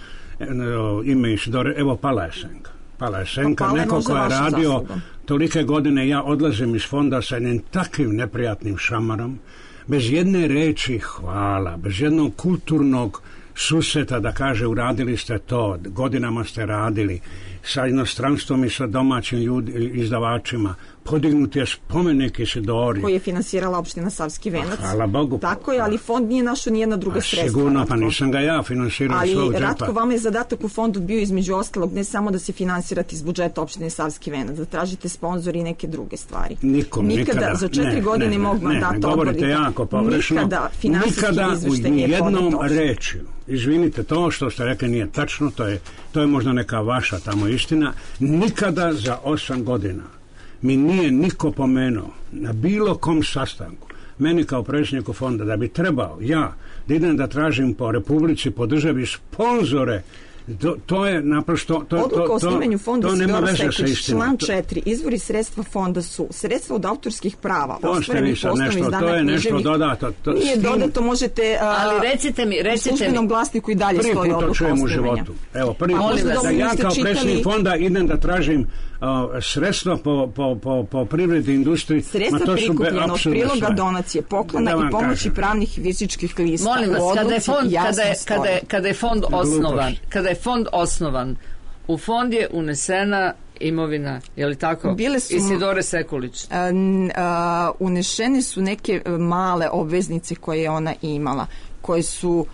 ime Isidore. Evo, pala je senka. Pala je senka. Pa neko ko je radio zasluga. Tolike godine, ja odlazim iz fonda sa jednim takvim neprijatnim šamarom, bez jedne reči hvala, bez jednog kulturnog susreta da kaže uradili ste to, godinama ste radili sa inostranstvom i sa domaćim ljudi, izdavačima, podignuti je spomenik Isidori koji je finansirala opština Savski Venac. Hvala Bogu. Tako je, ali fond nije našao nijedna druga A sredstva. Sigurno, pa nisam ga ja finansirao ali svog džepa. Ratko, vama je zadatak u fondu bio između ostalog ne samo da se finansirate iz budžeta opštine Savski Venac, da tražite sponzori i neke druge stvari. Nikom, nikada. Nikada, za četiri ne, godine ne, mog mandata ne, ne, govorite jako pogrešno. Nikada finansijski izveštaj nije nikada u jednom podnet. rečju. Izvinite, to što ste rekli nije tačno, to je, to je možda neka vaša tamo istina. Nikada za osam godina mi nije niko pomenuo na bilo kom sastanku, meni kao predsjedniku fonda, da bi trebao ja da idem da tražim po Republici, po državi sponzore. To, to je naprosto to, Odluka to, o osnivanju fonda Isidora Sekulić, član četiri, izvori sredstva fonda su sredstva od autorskih prava ostvarenih po osnovu izdanja književnih. Dodato, to, nije tim, dodato, možete a, ali recite mi, recite u službenom mi. glasniku i dalje prvi stoji put to odluka čujem u osnivanja. životu. Evo, prvi put da, da ja kao čitali... predsjednik fonda idem da tražim uh, sredstva po, po, po, po privredi industriji. Sredstva prikupljena od priloga, sve. Donacije, poklona i pomoći kažem. Pravnih i fizičkih lista. Molim vas, kada je fond, kada je, kada je, kada je fond osnovan, kada je fond osnovan, u fond je unesena imovina, je li tako? Bile su, Isidore Sekulić. A, a, unešene su neke male obveznice koje je ona imala, koje su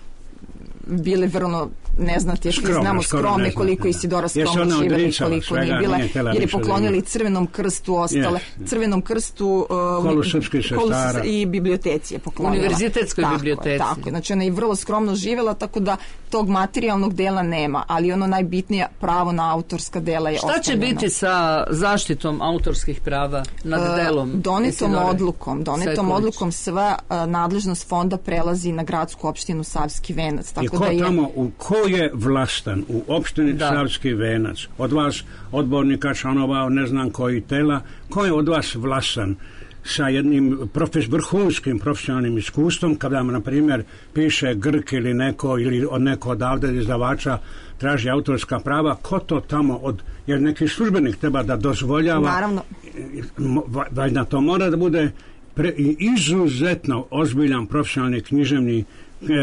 bile vrlo ne znate, jer znamo skromne koliko Isidora Skromna živela i koliko nije bila, jer je poklonili Crvenom krstu ostale, yes. Crvenom krstu uh, Kolu srpskih sestara i biblioteci je poklonila. Univerzitetskoj tako, biblioteci. Tako, znači ona je vrlo skromno živela, tako da tog materijalnog dela nema, ali ono najbitnije pravo na autorska dela je ostavljeno. Šta će biti sa zaštitom autorskih prava nad delom? Uh, donetom odlukom, donetom Sekulić. odlukom sva uh, nadležnost fonda prelazi na gradsku opštinu Savski Venac. Tako I ko da je... tamo, u, ko je vlastan u opštini da. Savski Venac? Od vas, odbornika, članova, ne znam koji tela, ko je od vas vlastan sa jednim profes, vrhunskim profesionalnim iskustvom, kada vam, na primjer, piše Grk ili neko, ili od neko odavde izdavača traži autorska prava, ko to tamo od, jer neki službenik treba da dozvoljava, naravno, valjda to mora da bude pre, izuzetno ozbiljan profesionalni književni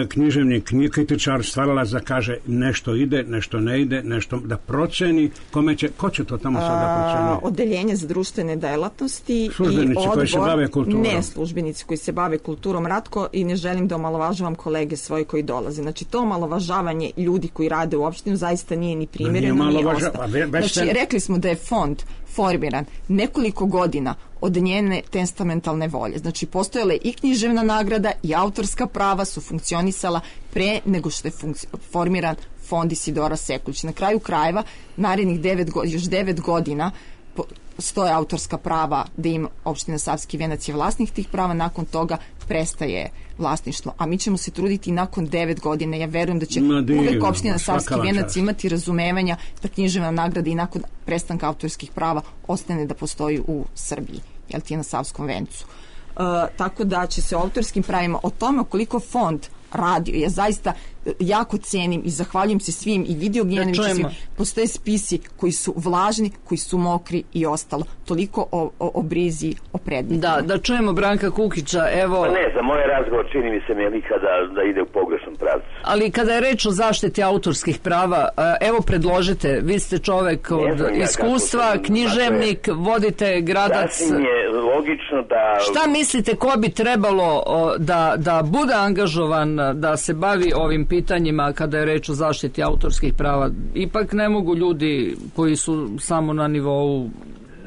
književni kritičar, stvaralac da kaže nešto ide, nešto ne ide, nešto da proceni, kome će, ko će to tamo sad da proceni? Odeljenje za društvene delatnosti službenici i odbor, koji se bave kulturom. Ne, službenici koji se bave kulturom, Ratko, i ne želim da omalovažavam kolege svoje koji dolaze. Znači, to omalovažavanje ljudi koji rade u opštinu zaista nije ni primjereno, ni ostalo. Znači, rekli smo da je fond formiran nekoliko godina od njene testamentalne volje. Znači, postojale i književna nagrada i autorska prava su funkcionisala pre nego što je funkci- formiran fond Isidora Sekulić. Na kraju krajeva, narednih devet go- još devet godina po- stoje autorska prava da im opština Savski Venac je vlasnik tih prava, nakon toga prestaje vlasništvo. A mi ćemo se truditi nakon devet godina. Ja verujem da će divno, uvek opština Savski Venac imati razumevanja da književna nagrada i nakon prestanka autorskih prava ostane da postoji u Srbiji, jel ti je na Savskom Vencu. Uh, tako da će se o autorskim pravima, o tome koliko fond radio, ja zaista jako cenim i zahvaljujem se svim i Video Gnjanoviću, svim, postoje spisi koji su vlažni, koji su mokri i ostalo. Toliko o, o, o brizi, o predmetima. Da, da čujemo Branka Kukića, evo... Pa ne, za moj razgovor čini mi se Melika da, da ide u pogrešnom pravcu. Ali kada je reč o zaštiti autorskih prava, evo predložite, vi ste čovek od ja iskustva, sam, književnik, dakle, vodite gradac... Sasvim je logično da... Šta mislite, ko bi trebalo da, da bude angažovan, da se bavi ovim pitanjima kada je reč o zaštiti autorskih prava? Ipak ne mogu ljudi koji su samo na nivou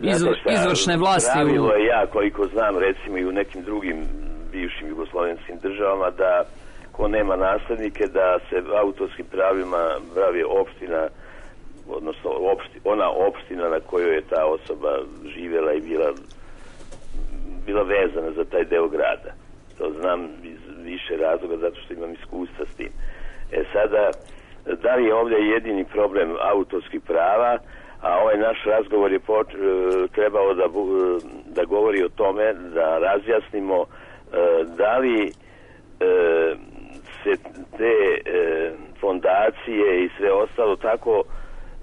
izv, izvršne vlasti. Pravilo je, ja koliko znam, recimo i u nekim drugim bivšim jugoslovenskim državama, da ko nema naslednike, da se autorskim pravima bavi opština, odnosno opšti, ona opština na kojoj je ta osoba živjela i bila, bila vezana za taj deo grada. To znam iz više razloga, zato što imam iskustva s tim. E sada, da li je ovdje jedini problem autorskih prava, a ovaj naš razgovor je poč- trebao da, da govori o tome, da razjasnimo da li se te fondacije i sve ostalo tako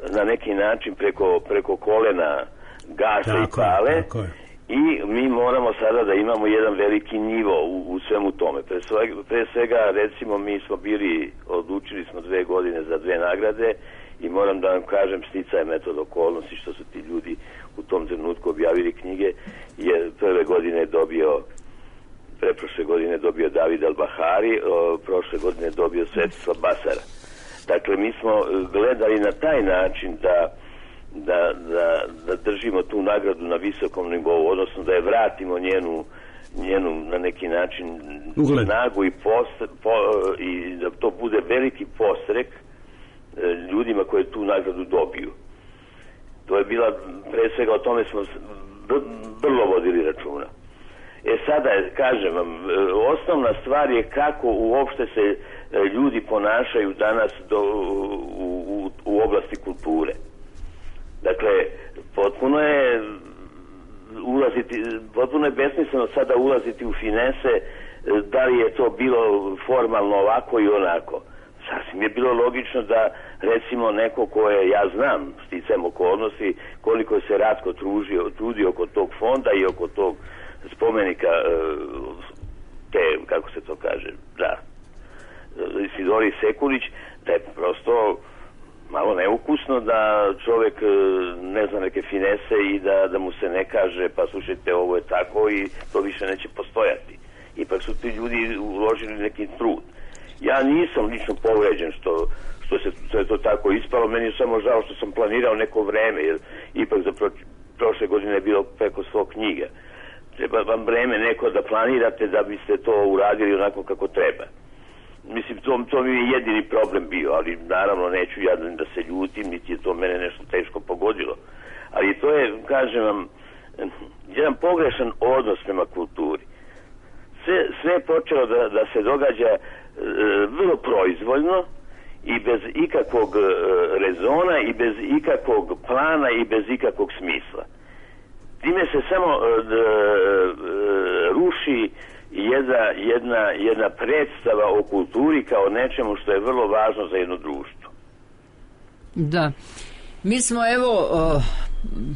na neki način preko, preko kolena gase i pale. Tako je. I mi moramo sada da imamo jedan veliki nivo u, u svemu tome. Pre svega, pre svega, recimo, mi smo bili, odlučili smo dve godine za dve nagrade i moram da vam kažem, sticaje metod okolnosti što su ti ljudi u tom trenutku objavili knjige, jer prve godine je dobio, preprošle godine je dobio David Al-Bahari, o, prošle godine je dobio Svetislav Basara. Dakle, mi smo gledali na taj način da Da, da, da držimo tu nagradu na visokom nivou, odnosno da je vratimo njenu, njenu na neki način Ugled. snagu i, post, po, i da to bude veliki postrek e, ljudima koji tu nagradu dobiju. To je bila, pre svega o tome smo vrlo vodili računa. E sada, kažem vam, osnovna stvar je kako uopšte se ljudi ponašaju danas do, u, u, u oblasti kulture. Dakle, potpuno je ulaziti, potpuno je besmisleno sada ulaziti u finese da li je to bilo formalno ovako i onako. Sasvim je bilo logično da, recimo, neko koje ja znam, sticajem okolnosti, koliko se Ratko tružio, trudio oko tog fonda i oko tog spomenika te, kako se to kaže, da, Isidori Sekulić, da je prosto malo neukusno da čovjek ne zna neke finese i da, da mu se ne kaže pa slušajte ovo je tako i to više neće postojati. Ipak su ti ljudi uložili neki trud. Ja nisam lično povređen što, što, se, što je to tako ispalo. Meni je samo žao što sam planirao neko vreme, jer ipak za pro, prošle godine je bilo preko sto knjiga. Treba vam vreme neko da planirate da biste to uradili onako kako treba. Mislim, to, to mi je jedini problem bio, ali naravno neću ja da se ljutim, niti je to mene nešto teško pogodilo. Ali to je, kažem vam, jedan pogrešan odnos prema kulturi. Sve, sve je počelo da, da se događa e, vrlo proizvoljno i bez ikakvog e, rezona i bez ikakvog plana i bez ikakvog smisla. Time se samo e, d, e, ruši jedna, jedna, jedna predstava o kulturi kao nečemu što je vrlo važno za jedno društvo. Da. Mi smo evo uh,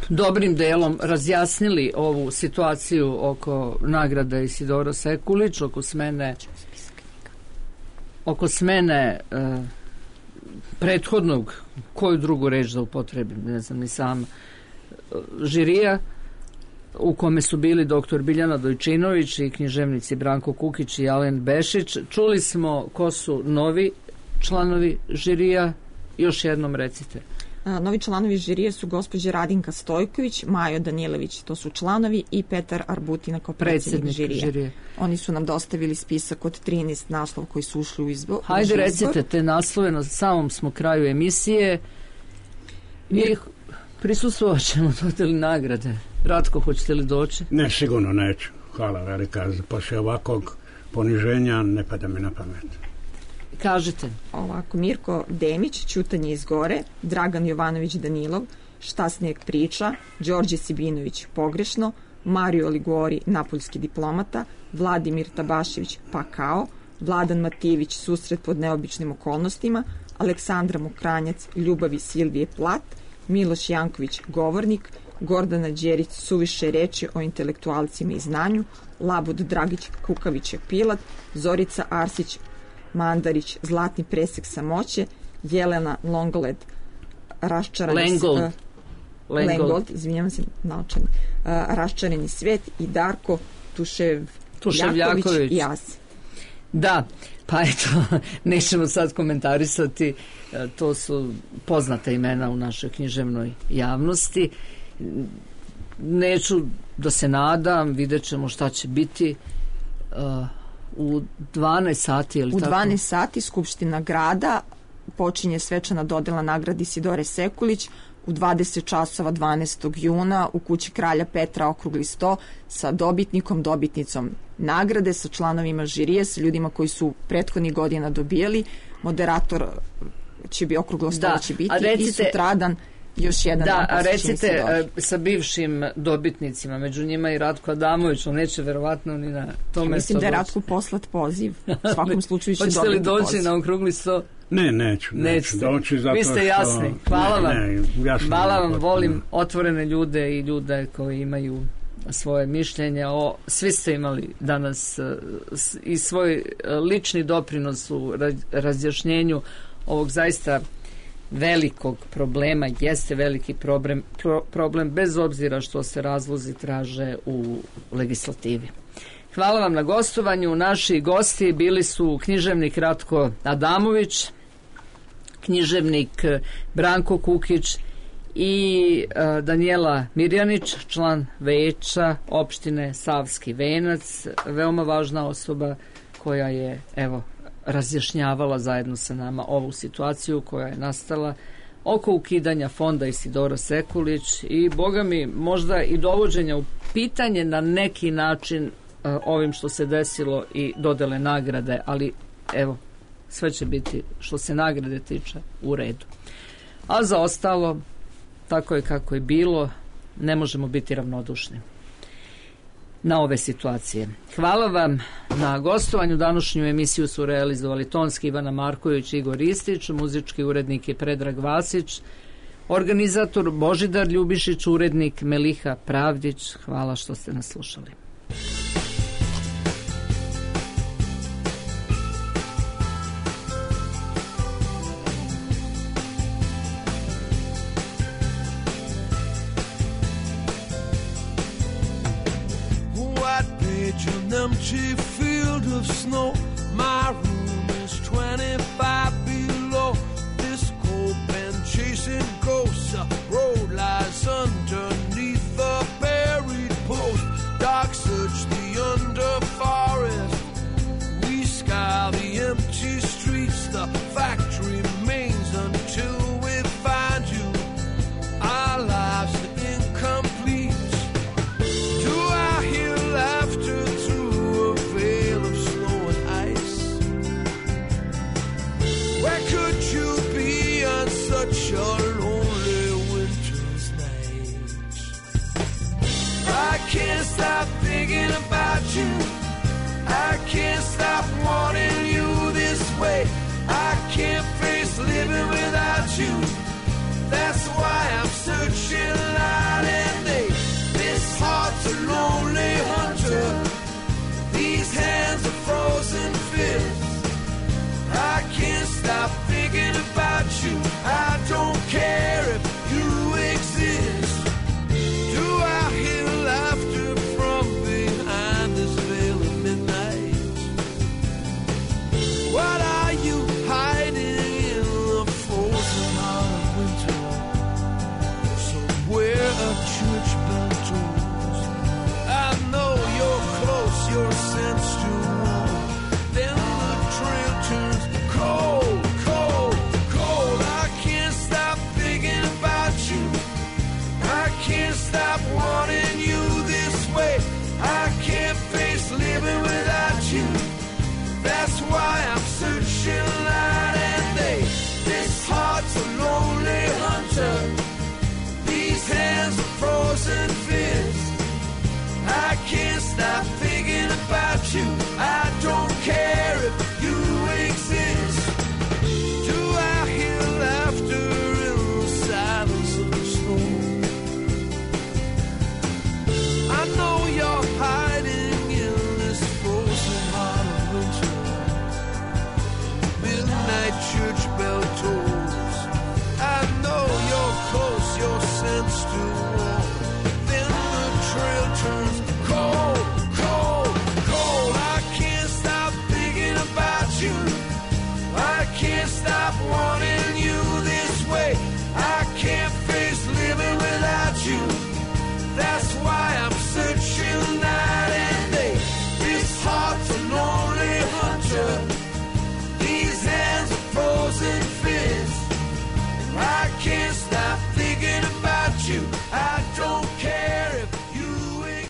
dobrim delom razjasnili ovu situaciju oko nagrade Isidora Sekulić, oko smene oko smene uh, prethodnog, koju drugu reč da upotrebim, ne znam ni sam, uh, žirija u kome su bili doktor Biljana Dojčinović i književnici Branko Kukić i Alen Bešić. Čuli smo ko su novi članovi žirija, još jednom recite. Novi članovi žirije su gospođa Radinka Stojković, Majo Danilević, to su članovi, i Petar Arbutina kao predsjednik žirije. žirije. Oni su nam dostavili spisak od trinaest naslova koji su ušli u izbor. Hajde recite te naslove, na samom smo kraju emisije i prisustvovat ćemo dodeli nagrade. Ratko, hoćete li doći? Ne, sigurno neću. Hvala velika. Poslije ovakvog poniženja ne pada mi na pamet. Kažete. Ovako, Mirko Demić, Ćutanje iz gore, Dragan Jovanović Danilov, Šta snijeg priča, Đorđe Sibinović, Pogrešno, Mario Ligori, Napoljski diplomata, Vladimir Tabašević, Pakao, Vladan Matijević, Susret pod neobičnim okolnostima, Aleksandra Mokranjac, Ljubavi Silvije Plat, Miloš Janković, Govornik, Gordana Đerić, Suviše reči o intelektualcima i znanju, Labud Dragić, Kukavić je Pilat, Zorica Arsić, Mandarić, Zlatni presek samoće, Jelena Longoled, Raščarani Lengold, uh, Lengold, izvinjavam se, naočani, uh, Raščarani svet i Darko Tušev, Tuševljaković i Asi. Da, pa eto, nećemo sad komentarisati, to su poznata imena u našoj književnoj javnosti. Neću da se nadam, vidjet ćemo šta će biti uh, u dvanaest sati, je li u tako? dvanaest sati Skupština grada počinje svečana dodela nagradi Isidore Sekulić u dvadeset časova dvanaestog juna u kući Kralja Petra, okrugli sto, sa dobitnikom, dobitnicom nagrade, sa članovima žirije, sa ljudima koji su prethodnih godina dobijali. Moderator će bi okruglo sto da, će biti recite, i sutradan još jedan. Da, a recite sa bivšim dobitnicima, među njima i Ratko Adamović, on neće verovatno ni na to mesto. Mislim da je Ratko poslat poziv. U svakom slučaju će dobiti poziv. Hoćete li doći na okrugli sto? Ne, neću. neću doći zato Vi ste jasni. Hvala vam. Ne, jasno, Hvala vam, volim otvorene ljude i ljude koji imaju svoje mišljenje. O, svi ste imali danas i svoj lični doprinos u razjašnjenju ovog zaista velikog problema. Jeste veliki problem, pro, problem bez obzira što se razlozi traže u legislativi. Hvala vam na gostovanju. Naši gosti bili su književnik Ratko Adamović, književnik Branko Kukić i uh, Danijela Mirjanić, član veća opštine Savski Venac, veoma važna osoba koja je, evo, razjašnjavala zajedno sa nama ovu situaciju koja je nastala oko ukidanja fonda Isidora Sekulić i, boga mi, možda i dovođenja u pitanje na neki način uh, ovim što se desilo i dodele nagrade, ali evo, sve će biti što se nagrade tiče u redu. A za ostalo, tako je kako je bilo, ne možemo biti ravnodušni na ove situacije. Hvala vam na gostovanju. Današnju emisiju su realizovali tonski Ivana Marković i Igor Istić, muzički urednik je Predrag Vasić, organizator Božidar Ljubišić, urednik Meliha Pravdić. Hvala što ste nas slušali. An empty field of snow. My room is twenty-five below. and ghosts, a